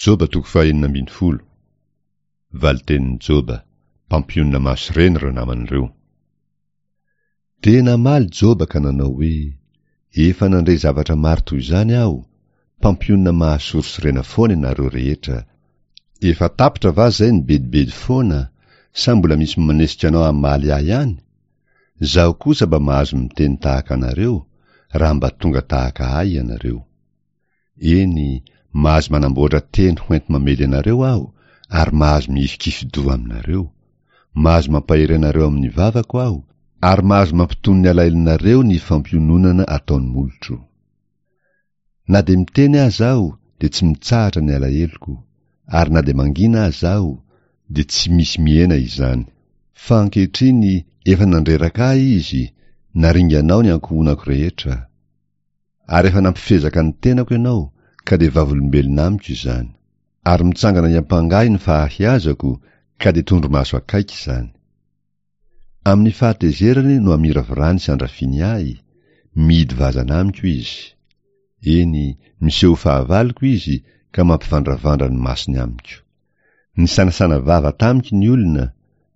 Joba toko fahenina ambin'ny folo. Valitenin'i Joba, Mpampionona maso ireny ireo namany ireo. Dia namaly Joba ka nanao hoe, Efa nandre zavatra maro toy izany aho, mpampionona mahasorisorena foana ianareo rehetra. Efa tapitra va izay ny bedibedy foana, sa mbola misy manesika anao hamaly ahy ihany? Izaho kosa mba mahazo miteny tahaka anareo, raha mba tonga tahaka ahy ianareo. Eny, mahazo manamboatra teny ho enti-mamely anareo aho, ary mahazo mihifikifi-doha aminareo. Mahazo mampahery anareo amin'ny vavako aho, ary mahazo mampitony ny alahelonareo ny fampiononana ataon'ny molotro. Na dia miteny aza aho, dia tsy mitsahatra ny alaheloko, ary na dia mangina aza aho, dia tsy misy mihena izany. Fa ankehitriny efa nandreraka ahy izy, naringanao ny ankohonako rehetra. Ary efa nampifezaka ny tenako ianao, ka dia vavolombelona amiko izany. Ary mitsangana hiampanga ahy ny fahahiazako, ka dia tondromaso akaiky izany. Amin'ny fahatezerany no amiravirany sy andrafiany ahy, mihidy vazana amiko izy. Eny, miseho ho fahavaloko izy, ka mampivandravandra ny masony amiko. Nisanasana vava tamiko ny olona,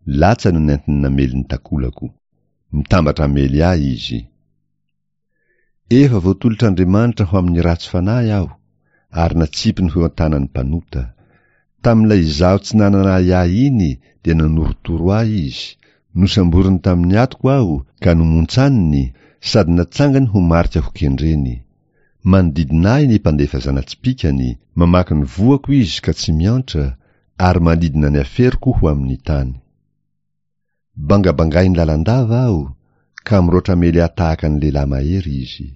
latsa no nentiny namely ny takolako. Mitambatra hamely ahy izy. Efa voatolotr'Andriamanitra ho amin'ny ratsy fanahy aho, ary natsipiny ho eo an-tanan'ny mpanota. Tamin'ilay izaho tsy nanana ahiahy iny dia nanorotoro ahy izy, nosamboriny tamin'ny atoko aho ka nomontsaniny, sady natsangany ho marika hokendreny. Manodidina ahy ny mpandefa zana-tsipìkany, mamaky ny voako izy ka tsy miantra, ary manidina ny aferoko ho amin'ny tany. Bangabangainy lalandava aho, ka miroatra hamely ahy tahaka ny lehilahy mahery izy.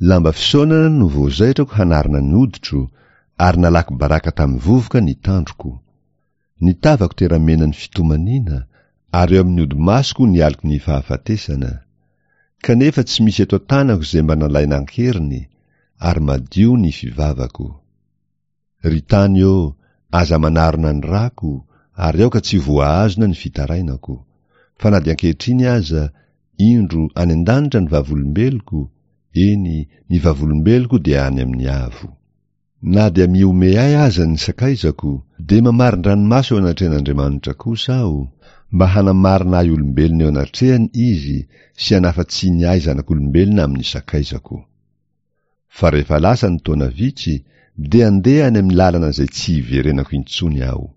Lamba fisaonana no voazaitrako hanarona ny hoditro, ary nalako baraka tamin'ny vovoka ny tandroko. Ny tavako teramena ny fitomaniana, ary eo amin'ny hodi-masoko ny aloky ny fahafatesana. Kanefa tsy misy eto an-tanako izay mba nalaina an-keriny, ary madio ny fivavako. Ry tany ô, aza manarona ny rako, ary aoka tsy voahazona ny fitarainako. Fa na dia ankehitriny aza, indro, any an-danitra ny vavolombeloko, eny, ny vavolombeloko dia any amin'ny avo. Na dia mihomehy ahy aza ny sakaizako, dia mamarin-dranomaso eo anatrehan'Andriamanitra kosa aho, mba hanamarina ahy olombelona eo anatrehany Izy sy hanafa-tsiny ahy zanak'olombelona amin'ny sakaizako. Fa rehefa lasa ny taona vitsy, dia andeha any amin'ny lalana izay tsy hiverenako intsony aho.